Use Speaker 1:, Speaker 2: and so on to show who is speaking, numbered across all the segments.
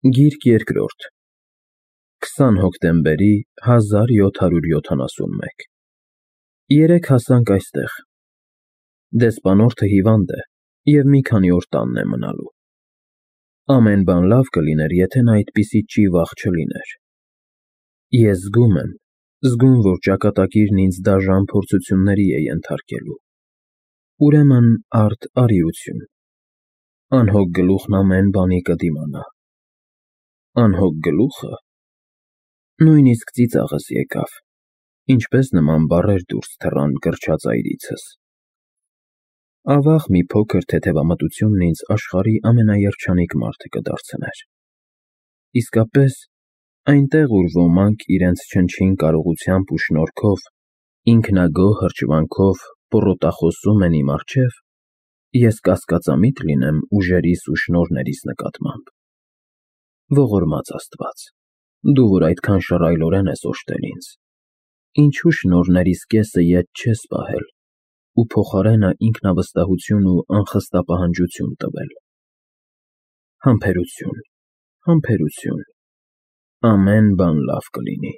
Speaker 1: Գիրք երկրորդ 20 հոկտեմբերի 1771 Երեկ հասանք այստեղ։ Դեսպանորդը հիվանդ է և մի քանի օր տանն է մնալու։ Ամեն բան լավ կլիներ, եթե նա այդպիսի ճիվաղ չլիներ։ Ես զգում, որ ճակատագիրն ինձ դաժան փորձությունների է ենթարկելու։ Ուրեմն արդ արիություն։ Անհոգ գլուխն ամեն բանի կդիմանա։ Անհոգ գլուխը… Նույնիսկ ծիծաղս եկավ, ինչպես նման բառեր դուրս թռան գրչածայրիցս։ Ավաղ մի փոքր թեթևամտությունն ինձ աշխարհի ամենաերջանիկ մարդը կդարձներ։ Իսկապես, այնտեղ, ուր ոմանք իրենց չնչին կարողությամբ ու շնորհքով, ինքնագոհ հրճվանքով պոռոտախոսում են իմ առջև, ես կասկածամիտ լինեմ ուժերիս ու շնորհներիս նկատմամբ։ Ողորմած Աստված, դու որ այդքան շռայլորեն ես օժտել ինձ, ինչու շնորհներիս կեսը ետ չես պահել ու փոխարենը ինքնավստահություն ու անխստապահանջություն տվել։ Համբերություն, համբերություն, ամեն բան լավ կլինի։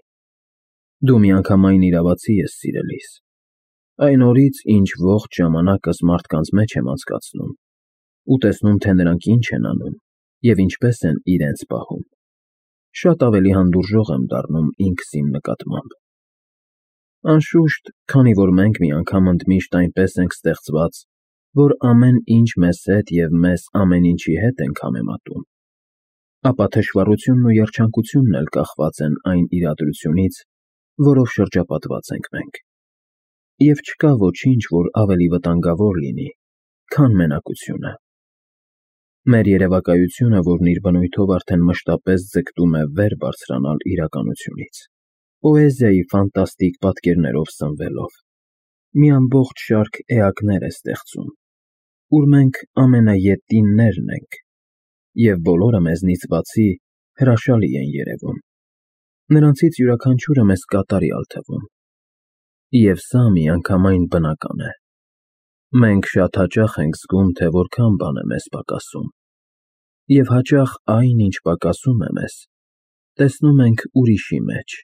Speaker 1: Դու միանգամայն իրավացի ես սիրելիս։ Այն օրից, ինչ ողջ ժամանակս մարդկանց մեջ եմ անցկացնում ու տեսնում, թե նրանք ինչ են անում և ինչպես են իրենց պահում, շատ ավելի հանդուրժող եմ դառնում ինքս իմ նկատմամբ։ Անշուշտ, քանի որ մենք մի անգամ ընդմիշտ այնպես ենք ստեղծված, որ ամեն ինչ մեզ հետ և մեզ ամեն ինչի հետ ենք համեմատում, ապա թշվառությունն ու երջանկությունն էլ կախված են այն իրադրությունից, որով շրջապատված ենք մենք։ Եվ չկա ոչինչ, որ ավելի վտանգավոր լինի, քան մենակությունը։ Մեր երևակայությունը, որն իր բնույթով արդեն մշտապես ձգտում է վեր բարձրանալ իրականությունից, պոեզիայի ֆանտաստիկ պատկերներով սնվելով, մի ամբողջ շարք էակներ է ստեղծում, ուր մենք ամենաետիններն ենք, և բոլորը մեզնից բացի հրաշալի են երևում։ Նրանցից յուրաքանչյուրը մեզ կատարյալ թվում։ Եվ սա միանգամայն բնական է։ Մենք շատ հաճախ ենք զգում, թե որքան բան է մեզ պակասում, և հաճախ այն, ինչ պակասում է մեզ, տեսնում ենք ուրիշի մեջ,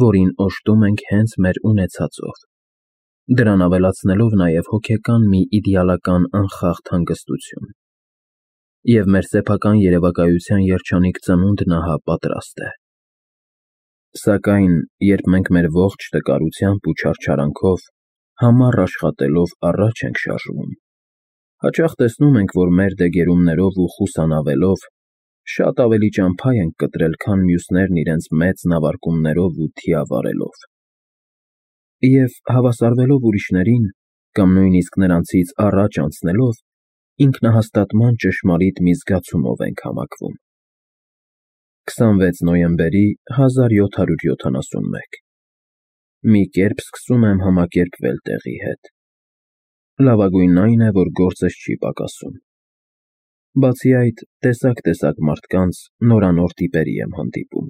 Speaker 1: որին օժտում ենք հենց մեր ունեցածով, դրան ավելացնելով նաև հոգեկան մի իդեալական անխախտ հանգստություն։ Եվ մեր սեփական երևակայության երջանիկ ծնունդն ահա պատրաստ է։ Սակայն, երբ մենք մեր ողջ տկարությամբ ու չարչարանքով համառ աշխատելով առաջ ենք շարժվում, հաճախ տեսնում ենք, որ մեր դեգերումներով ու խուսանավելով շատ ավելի ճամփա ենք կտրել, քան մյուսներն իրենց մեծ նավարկումներով ու թիավարելով։ Եվ հավասարվելով ուրիշներին կամ նույնիսկ նրանցից առաջ անցնելով, ինքնահաստատման ճշմարիտ մի զգացումով ենք համակվում։ 26 նոյեմբերի 1771 Մի կերպ սկսում եմ համակերպվել տեղի հետ։ Լավագույնն այն է, որ գործս չի պակասում։ Բացի այդ, տեսակ մարդկանց նորանոր տիպերի եմ հանդիպում,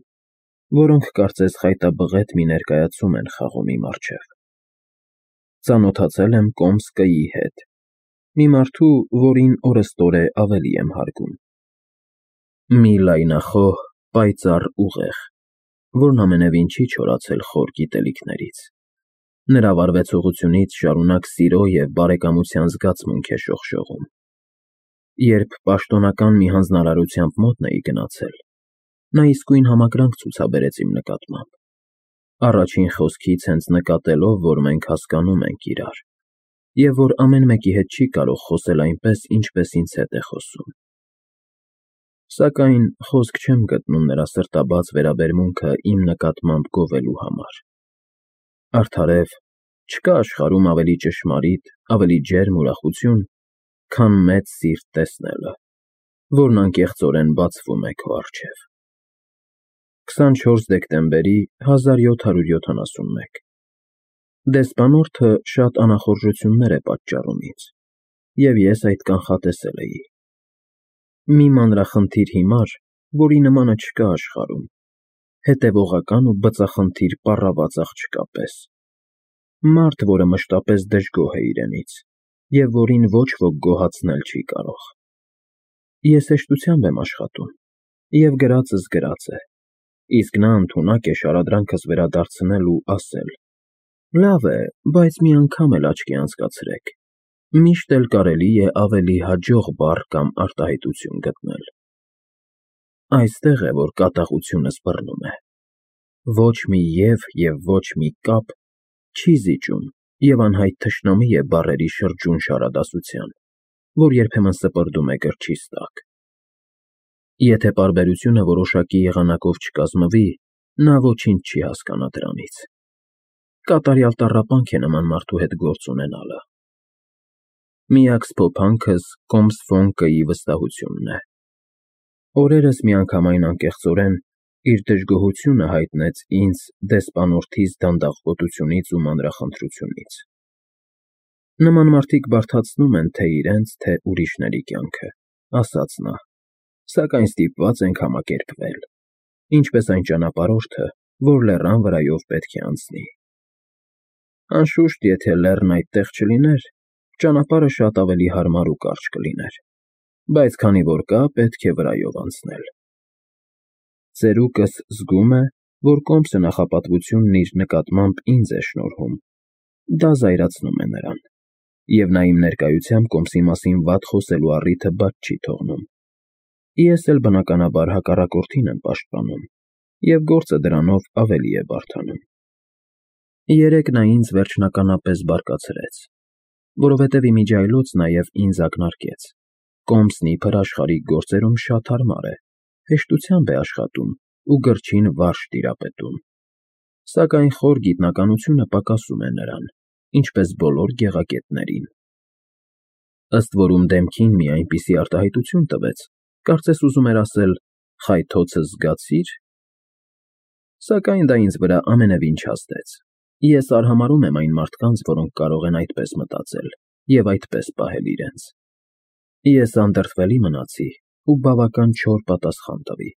Speaker 1: որոնք կարծես խայտաբղետ մի ներկայացում են խաղում իմ առջև։ Ծանոթացել եմ Կոմսկիի հետ, մի մարդու, որին օրըստօրե ավելի եմ հարգում։ Մի լայնախոհ, պայծառ ուղեղ, որն ամենևին չի չորացել խոր գիտելիքներից։ Նրա վարվեցողությունից շարունակ սիրո և բարեկամության զգացմունք է շողշողում։ Երբ պաշտոնական մի հանձնարարությամբ մոտն էի գնացել, նա իսկույն համակրանք ցուցաբերեց իմ նկատմամբ։ Առաջին խոսքից հենց նկատելով, որ մենք հասկանում ենք իրար, և որ ամեն մեկի հետ չի կարող խոսել այնպես, ինչպես ինձ հետ է խոսում։ Սակայն խոսք չեմ գտնում նրա սրտաբաց վերաբերմունքը իմ նկատմամբ գովելու համար։ Արդարև, չկա աշխարհում ավելի ճշմարիտ, ավելի ջերմ ուրախություն, քան մեծ սիրտ տեսնելը, որն անկեղծորեն բացվում է քո առջև։ 24 դեկտեմբերի 1771 Դեսպանորդը շատ անախորժություններ է պատճառում ինձ, և ես այդ կանխատեսել էի։ Մի մանրախնդիր հիմար, որի նմանը չկա աշխարհում, հետևողական ու բծախնդիր պառաված աղջկա պես։ Մարդ, որը մշտապես դժգոհ է իրենից, և որին ոչ ոք գոհացնել չի կարող։ Ես հեշտությամբ եմ աշխատում, Եվ գրածս գրած է, իսկ նա ընդունակ է շարադրանքս վերադարձնել ու ասել. «Լավ է, բայց մի անգամ էլ աչքի անցկացրեք, միշտ էլ կարելի է ավելի հաջող բառ կամ արտահայտություն գտնել»։ Այստեղ է, որ կատաղությունս բռնում է։ Ոչ մի և ոչ մի կապ չի զիջում և անհայտ թշնամի է բառերի շրջուն֊շարադասության, որ երբեմն սպրդում է կրչիս տակ։ Եթե պարբերությունը որոշակի եղանակով չկազմվի, նա ոչինչ չի հասկանա դրանից։ Կատարյալ տառապանք է նման մարդու հետ գործ ունենալը։ Միակ սփոփանքս կոմս֊ֆոնկըի վստահությունն է։ Օրերս միանգամայն անկեղծորեն իր դժգոհությունը հայտնեց ինձ դեսպանորդիս դանդաղկոտությունից ու մանրախնդրությունից։ Նման մարդիկ բարդացնում են թե իրենց, թե ուրիշների կյանքը, ասաց նա, սակայն ստիպված ենք համակերպվել, ինչպես այն ճանապարհորդը, որ լեռան վրայով պետք է անցնի։ Անշուշտ, եթե լեռն այդտեղ չլիներ, ճանապարհը շատ ավելի հարմար ու կարճ կլիներ, բայց քանի որ կա, պետք է վրայով անցնել։ Ծերուկս զգում է, որ կոմսը նախապատվությունն իր նկատմամբ ինձ է շնորհում, դա զայրացնում է նրան, և նա իմ ներկայությամբ կոմսի մասին վատ խոսելու առիթը բաց չի թողնում։ Ես էլ բնականաբար հակառակորդին եմ պաշտպանում, և գործը դրանով ավելի է բարդանում։ Երեկ նա ինձ վերջնականապես բարկացրեց, որովհետև իմիջիայլոց նաև ինձ ակնարկեց. կոմսն իբր աշխարհիկ գործերում շատ հարմար է, հեշտությամբ է աշխատում ու գրչին վարժ տիրապետում, սակայն խոր գիտնականությունը պակասում է նրան, ինչպես բոլոր գեղագետներին։ Ըստ որում դեմքին մի այնպիսի արտահայտություն տվեց, կարծես ուզում էր ասել. «Խայթոցս զգացի՞ր»։ Սակայն դա ինձ վրա ամենևին չհասցրեց։ Ես արհամարհում եմ այն մարդկանց, որոնք կարող են այդպես մտածել և այդպես պահել իրենց։ Ես անդրդվելի մնացի ու բավական չոր պատասխան տվի։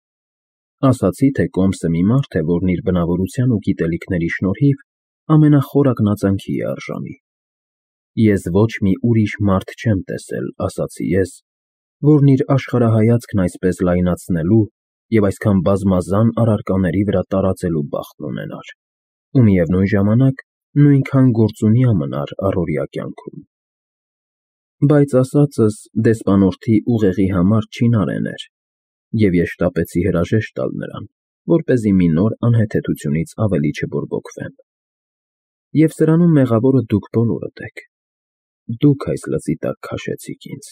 Speaker 1: Ասացի, թե կոմսը մի մարդ է, որն իր բնավորության ու գիտելիքների շնորհիվ ամենախոր ակնածանքի է արժանի։ Ես ոչ մի ուրիշ մարդ չեմ տեսել, ասացի ես, որն իր աշխարհայացքն այսպես լայնացնելու և այսքան բազմազան առարկաների վրա տարածելու բախտն ունենար, ու միևնույն ժամանակ նույնքան գործունյա մնար առօրյա կյանքում։ Բայց ասածս դեսպանորդի ուղեղի համար չինարեն էր, և ես շտապեցի հրաժեշտ տալ նրան, որպեսզի մի նոր անհեթեթությունից ավելի չբորբոքվեմ։ Եվ սրանում մեղավորը դուք բոլորդ եք։ Դուք այս լծի տակ քաշեցիք ինձ,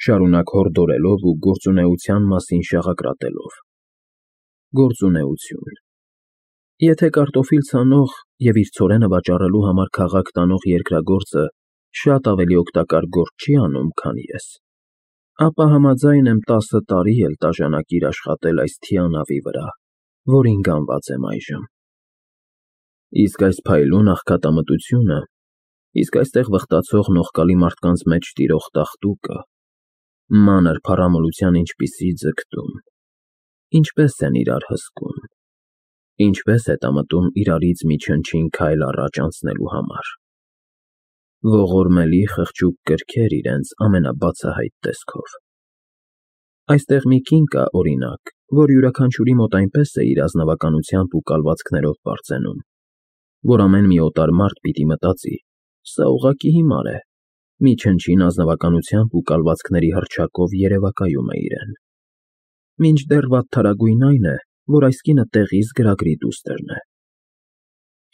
Speaker 1: շարունակ հորդորելով ու գործունեության մասին շաղակրատելով։ Գործունեություն։ Եթե կարտոֆիլ ցանող և իր ցորենը վաճառելու համար քաղաք տանող երկրագործը շատ ավելի օգտակար գործ չի անում, քան ես, ապա համաձայն եմ 10 տարի էլ տաժանակիր աշխատել այս թիանավի վրա, որին գանված եմ այժմ։ Իսկ այս փայլուն աղքատամտությունը, իսկ այստեղ վխտացող նողկալի մարդկանց մեջ տիրող տաղտուկը, մանր փառամոլության ինչպիսի ձգտում, ինչպես են իրար հսկում, ինչպես հետամտում իրարից մի չնչին քայլ առաջ անցնելու համար։ Ողորմելի խղճուկ կրքեր իրենց ամենաբացահայտ տեսքով։ Այստեղ մի կին կա, օրինակ, որ յուրաքանչյուրի մոտ այնպես է իր ազնվականությամբ ու կալվածքներով պարծենում, որ ամեն մի օտար մարդ պիտի մտածի. «Սա ուղղակի հիմար է», մի չնչին ազնվականությամբ ու կալվածքների հռչակով երևակայում է իրեն։ Մինչդեռ վատթարագույն այն է, որ այս կինը տեղիս գրագրի դուստրն է։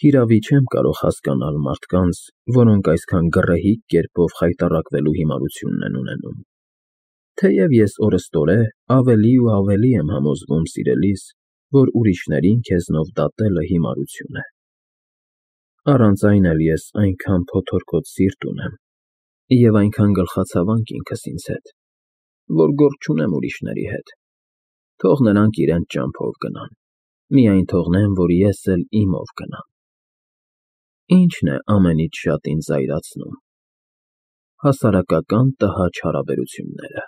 Speaker 1: Հիրավի չեմ կարող հասկանալ մարդկանց, որոնք այսքան գռեհիկ կերպով խայտառակվելու հիմարությունն են ունենում։ Թեև ես օրըստօրե ավելի ու ավելի եմ համոզվում սիրելիս, որ ուրիշներին քեզնով դատելը հիմարություն է։ Առանց այն էլ ես այնքան փոթորկոտ սիրտ ունեմ և այնքան գլխացավանք ինքս ինձ հետ, որ գործ չունեմ ուրիշների հետ։ Թող նրանք իրենց ճամփով գնան, միայն թողնեմ, որ ես էլ իմով գնամ։ Ի՞նչն է ամենից շատ ինձ զայրացնում։ Հասարակական տհաճ հարաբերությունները,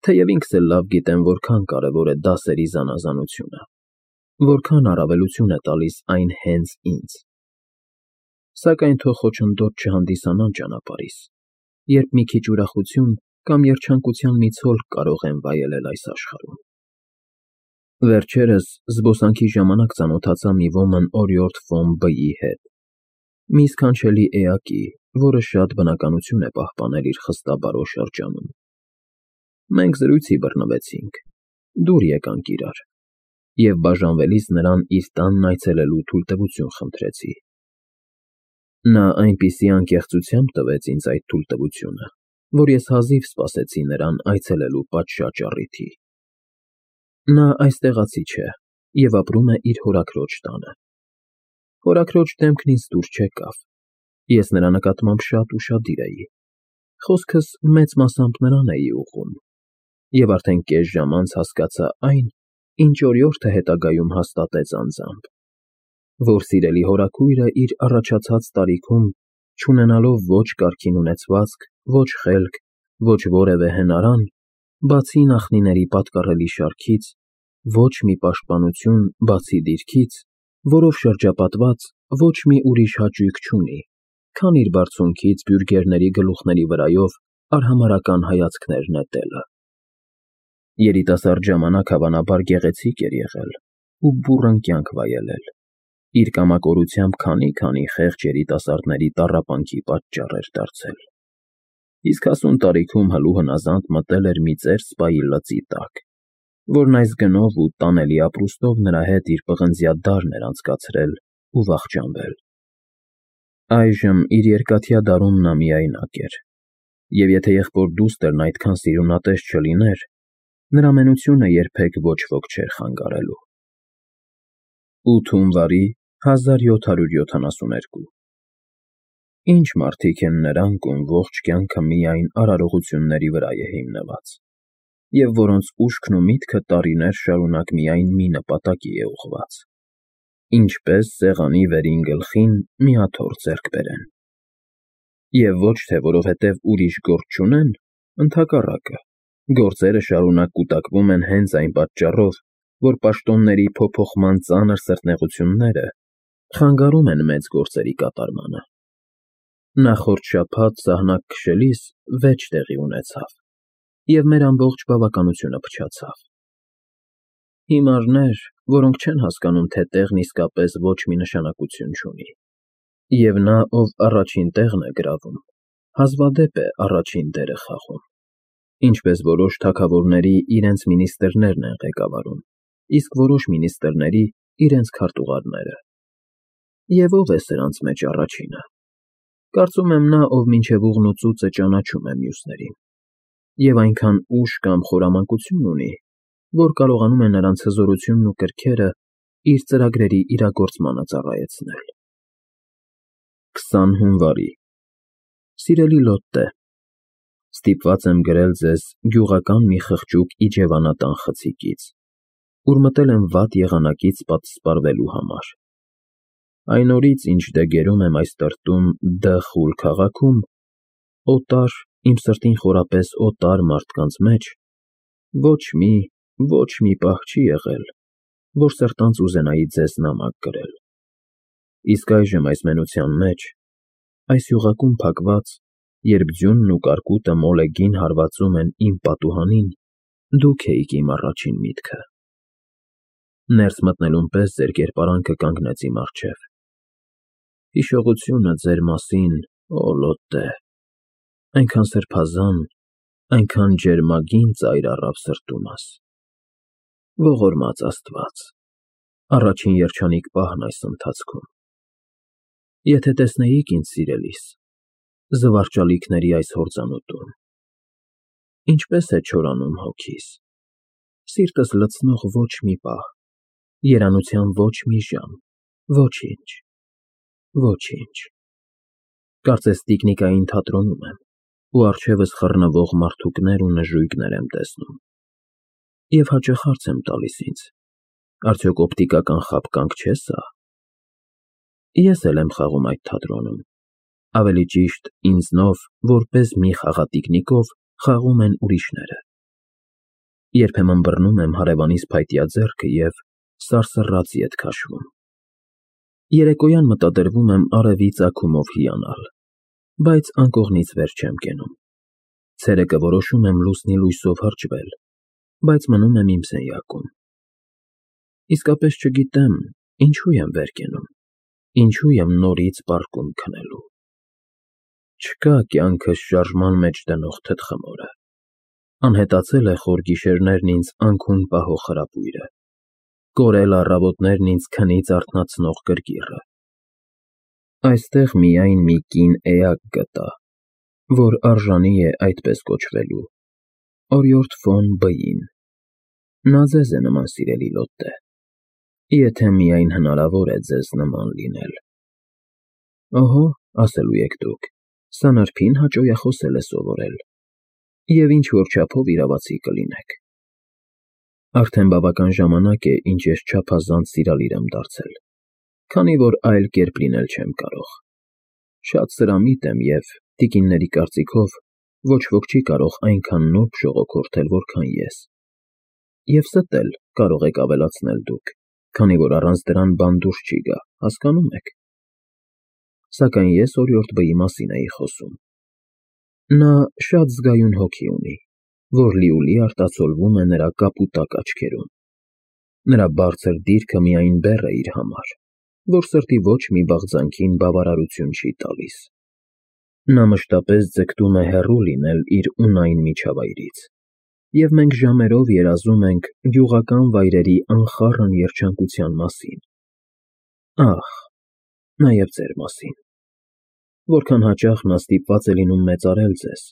Speaker 1: թեև ինքս էլ լավ գիտեմ, որքան կարևոր է դասերի զանազանությունը, որքան առավելություն է տալիս այն հենց ինձ։ Սակայն թող խոչընդոտ չհանդիսանան ճանապարհիս, երբ մի քիչ ուրախություն կամ երջանկության մի ցոլք կարող եմ վայելել այս աշխարհում։ Վերջերս զբոսանքի ժամանակ ծանոթացա մի ոմն օրիորդ ֆոն B-ի հետ, մի սքանչելի էակի, որը շատ բնականություն է պահպանել իր խստաբարո շրջանում։ Մենք զրույցի բռնվեցինք, դուր եկանք իրար, և բաժանվելիս նրան իր տանն այցելելու թույլտվություն խնդրեցի։ Նա այնպիսի անկեղծությամբ տվեց ինձ այդ թույլտվությունը, որ ես հազիվ սպասեցի նրան այցելելու պատշաճ առիթի։ Նա այստեղացի չէ և ապրում է իր հորաքրոջ տանը։ Հորաքրոջ դեմքն ինձ դուր չեկավ, ես նրա նկատմամբ շատ ուշադիր էի, խոսքս մեծ մասամբ նրան էի ուղղում, և արդեն կես ժամ անց հասկացա այն, ինչ օրիորդը հետագայում հաստատեց անձամբ, որ սիրելի հորաքույրը իր առաջացած տարիքում, չունենալով ոչ կարգին ունեցվածք, ոչ խելք, ոչ որևէ հնարան, բացի նախնիների պատկառելի շարքից, ոչ մի պաշտպանություն, բացի դիրքից, որով շրջապատված ոչ մի ուրիշ հաճույք չունի, քան իր բարձունքից բյուրգերների գլուխների վրայով արհամարհական հայացքներ նետելը։ Երիտասարդ ժամանակ հավանաբար գեղեցիկ էր եղել ու բուռն կյանք վայելել, իր կամակորությամբ քանի խեղճ երիտասարդների տառապանքի պատճառ էր դարձել, իսկ հասուն տարիքում հլու հնազանդ մտել էր մի ծեր սպայի լծի տակ, որն այս գնով ու տանելի ապրուստով նրա հետ իր պղնձյա դարն էր անցկացրել ու վախճանվել։ Այժմ իր երկաթյա դարում նա միայնակ էր, և եթե եղբոր դուստրն այդքան սիրունատես չլիներ, նրա մենությունը երբեք ոչ ոք չէր խանգարելու։ 8 հունվարի 1772 Ինչ մարդիկ են նրանք, ում ողջ կյանքը միայն արարողությունների վրա է հիմնված, և որոնց ուշքն ու միտքը տարիներ շարունակ միայն մի նպատակի է ուղղված. ինչպես սեղանի վերին գլխին մի աթոռ ձեռք բերեն։ Եվ ոչ թե որովհետև ուրիշ գործ չունեն, ընդհակառակը, գործերը շարունակ կուտակվում են հենց այն պատճառով, որ պաշտոնների փոփոխման ծանր սրտնեղությունները խանգարում են մեծ գործերի կատարմանը։ Նախորդ շաբաթ սահնակ քշելիս վեճ տեղի ունեցավ, և մեր ամբողջ բավականությունը փչացավ։ Հիմարներ, որոնք չեն հասկանում, թե տեղն իսկապես ոչ մի նշանակություն չունի, և նա, ով առաջին տեղն է գրավում, հազվադեպ է առաջին դերը խաղում, ինչպես որոշ թագավորների իրենց մինիստրներն են ղեկավարում, իսկ որոշ մինիստրների իրենց քարտուղարները։ Եվ ով է սրանց մեջ առաջինը։ Կարծում եմ նա, ով մինչև ուղն ու ծուծը ճանաչում է մյուսներին, և այնքան ուժ կամ խորամանկություն ունի, որ կարողանում է նրանց հզորությունն ու կրքերը իր ծրագրերի իրագործմանը ծառայեցնել։ 20 հունվարի Սիրելի Լոտտե, ստիպված եմ գրել ձեզ գյուղական մի խղճուկ իջևանատան խցիկից, ուր մտել եմ վատ եղանակից պատսպարվելու համար։ Այն օրից, ինչ դեգերում եմ այս տրտում Դ խուլ քաղաքում, օտար, իմ սրտին խորապես օտար մարդկանց մեջ, ոչ մի պահ չի եղել, որ սրտանց ուզենայի ձեզ նամակ գրել։ Իսկ այժմ այս մենության մեջ, այս յուղակում փակված, երբ ձյունն ու կարկուտը մոլեգին հարվածում են իմ պատուհանին, դուք էիք իմ առաջին միտքը։ Ներս մտնելուն պես ձեր կերպարանքը կանգնեց իմ առջև։ Հիշողությունը ձեր մասին, օ Լոտտե, այնքան սրբազան, այնքան ջերմագին ծայր առավ սրտումս։ Ողորմած Աստված, առաջին երջանիկ պահն այս ընթացքում։ Եթե տեսնեիք ինձ սիրելիս, զվարճալիքների այս հորձանուտում, ինչպես է չորանում հոգիս, սիրտս լցնող ոչ մի պահ, երանության ոչ մի ժամ, ոչինչ։ Կարծես տիկնիկային թատրոնում եմ, ու առջևս խռնվող մարդուկներ ու նժույգներ եմ տեսնում։ Եվ հաճախ հարց եմ տալիս ինձ. արդյոք օպտիկական խաբկանք չէ՞ սա։ Ես էլ եմ խաղում այդ թատրոնում, ավելի ճիշտ ինձնով, որպես մի խաղատիկնիկով խաղում են ուրիշները։ Երբեմն բռնում եմ հարևանիս փայտյա ձեռքը և սարսռած ետ քաշվում։ Երեկոյան մտադրվում եմ արևի ծագումով հիանալ, բայց անկողնից վեր չեմ կենում։ Ցերեկը որոշում եմ լուսնի լույսով հրճվել, բայց մնում եմ իմ սենյակում։ Իսկապես չգիտեմ, ինչու եմ վեր կենում, ինչու եմ նորից պառկում քնելու։ Չկա կյանքս շարժման մեջ դնող թթխմորը, անհետացել է խոր գիշերներն ինձ անքուն պահող խրապույրը, կորել առավոտներն ինձ քնից արթնացնող գրգիռը։ Այստեղ միայն մի կին էակ գտա, որ արժանի է այդպես կոչվելու, օրիորդ ֆոն B-ին։ Նա ձեզ է նման, սիրելի Լոտտե, եթե միայն հնարավոր է ձեզ նման լինել։ Օհո, ասելու եք դուք, Սանարփին հաճոյախոսել է սովորել, և ինչ-որ չափով իրավացի կլինեք։ Արդեն բավական ժամանակ է, ինչ ես չափազանց սիրալիր եմ դարձել, քանի որ այլ կերպ լինել չեմ կարող։ Շատ սրամիտ եմ և, տիկինների կարծիքով, ոչ ոք չի կարող այնքան նուրբ ժողոքորթել, որքան ես։ Եվ ստը էլ կարող եք ավելացնել դուք, քանի որ առանց դրան բան դուրս չի գա, հասկանո՞ւմ եք։ Սակայն ես օրիորդ B-ի մասին էի խոսում։ Նա շատ զգայուն հոգի ունի, որ լիուլի արտացոլվում է նրա կապուտակ աչքերում։ Նրա բարձր դիրքը միայն բեռ է իր համար, որ սրտի ոչ մի բաղձանքին բավարարություն չի տալիս։ Նա մշտապես ձգտում է հեռու լինել իր ունայն միջավայրից, և մենք ժամերով երազում ենք գյուղական վայրերի անխառն երջանկության մասին։ Ահ, նաև ձեր մասին։ Որքան հաճախ նա ստիպված է լինում մեծարել ձեզ։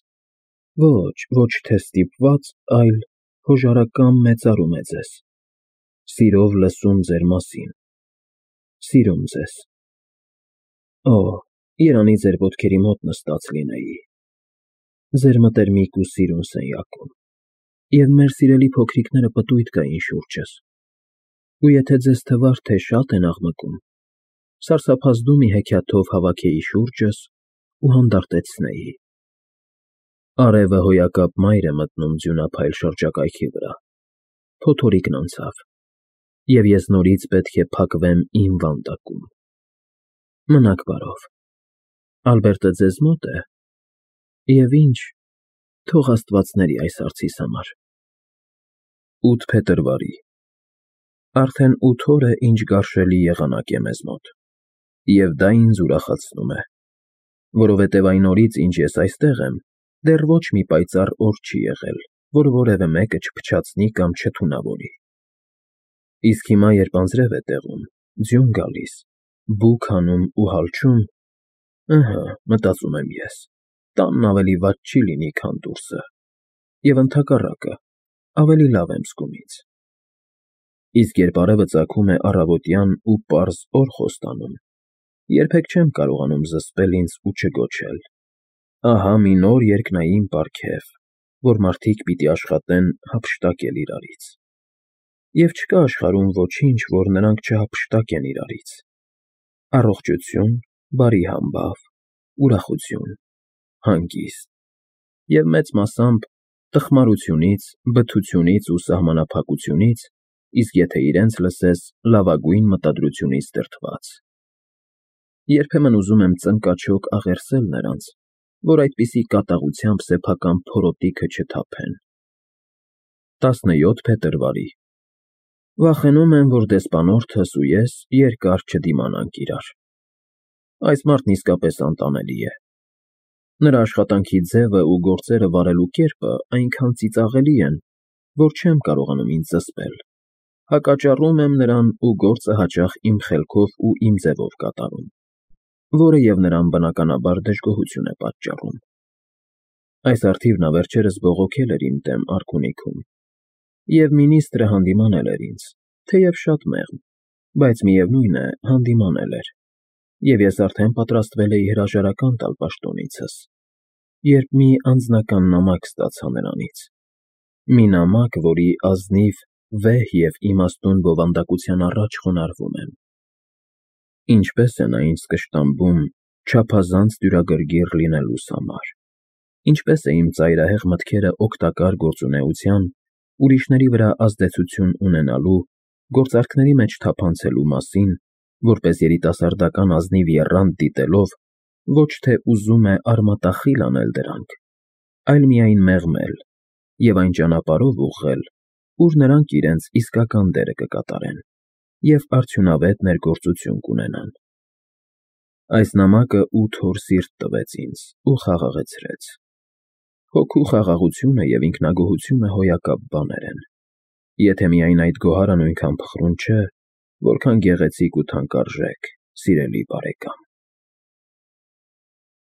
Speaker 1: Ոչ թե ստիպված, այլ հոժարակամ մեծարում է ձեզ, սիրով լսում ձեր մասին, սիրում ձեզ։ Օ, երանի ձեր ոտքերի մոտ նստած լինեի, ձեր մտերմիկ ու սիրուն սենյակում, և մեր սիրելի փոքրիկները պտույտ կային շուրջս, ու եթե ձեզ թվար, թե շատ են աղմկում, սարսափազդու մի հեքիաթով հավաքեի շուրջս ու հանդարտեցնեի։ Արևը հոյակապ մայր է մտնում ձյունափայլ շրջակայքի վրա, փոթորիկն անցավ, և ես նորից պետք է փակվեմ իմ վանդակում։ Մնաք բարով։ Ալբերտը ձեզ մո՞տ է, և ինչ, թող աստվածների այս հարցիս համար։ 8 փետրվարի։ Արդեն 8 օր է, ինչ գարշելի եղանակ է մեզ մոտ, և դա ինձ ուրախացնում է, որովհետև այն օրից, ինչ ես այստեղ եմ, դեռ ոչ մի պայծառ օր չի եղել, որ որևէ մեկը չփչացնի կամ չթունավորի։ Իսկ հիմա, երբ անձրև է տեղում, ձյուն գալիս, բուք հանում ու հալչում, ըհը, մտածում եմ ես, տանն ավելի վատ չի լինի, քան դուրսը, և ընդհակառակը, ավելի լավ եմ զգում ինձ։ Իսկ երբ արևը ծագում է առավոտյան ու պարզ օր խոստանում, երբեք չեմ կարողանում զսպել ինձ ու չգոչել. ահա մի նոր երկնային պարգև, որ մարդիկ պիտի աշխատեն հափշտակել իրարից։ Եվ չկա աշխարհում ոչինչ, որ նրանք չհափշտակեն իրարից. առողջություն, բարի համբավ, ուրախություն, հանգիստ, և մեծ մասամբ տխմարությունից, բթությունից ու սահմանափակությունից, իսկ եթե իրենց լսես, լավագույն մտադրությունից դրդված։ Երբեմն ուզում եմ ծնկաչոք աղերսել նրանց, որ այդպիսի կատաղությամբ սեփական փորոտիքը չթափեն։ 17 փետրվարի։ Վախենում եմ, որ դեսպանորդս ու ես երկար չդիմանանք իրար։ Այս մարդն իսկապես անտանելի է։ Նրա աշխատանքի ձևը ու գործերը վարելու կերպը այնքան ծիծաղելի են, որ չեմ կարողանում ինձ զսպել։ Հակաճառում եմ նրան ու գործը հաճախ իմ խելքով ու իմ ձևով կատարում, որը և նրան բնականաբար դժգոհություն է պատճառում։ Այս առթիվ նա վերջերս բողոքել էր իմ դեմ արքունիքում, և մինիստրը հանդիմանել էր ինձ, թեև շատ մեղմ, բայց միևնույն է, հանդիմանել էր, և ես արդեն պատրաստվել էի հրաժարական տալ պաշտոնիցս, երբ մի անձնական նամակ ստացա նրանից։ Մի նամակ, որի ազնիվ, վեհ և իմաստուն բովանդակության առաջ խոնարհվում եմ։ Ինչպես է նա ինձ կշտամբում չափազանց դյուրագրգիռ լինելուս համար, ինչպես է իմ ծայրահեղ մտքերը օգտակար գործունեության, ուրիշների վրա ազդեցություն ունենալու, գործարքների մեջ թափանցելու մասին, որպես երիտասարդական ազնիվ եռանդ դիտելով, ոչ թե ուզում է արմատախիլ անել դրանք, այլ միայն մեղմել և այն ճանապարհով ուղղել, ուր նրանք իրենց իսկական դերը կկատարեն։ և արդյունավետ ներգործություն կունենան։ Այս նամակը 8 օր սիրտ տվեց ինձ ու խաղաղեցրեց։ Հոգու խաղաղությունը և ինքնագոհությունը հոյակապ բաներ են, եթե միայն այդ գոհարը նույնքան փխրուն չէ, որքան գեղեցիկ ու թանկարժեք, սիրելի բարեկամ։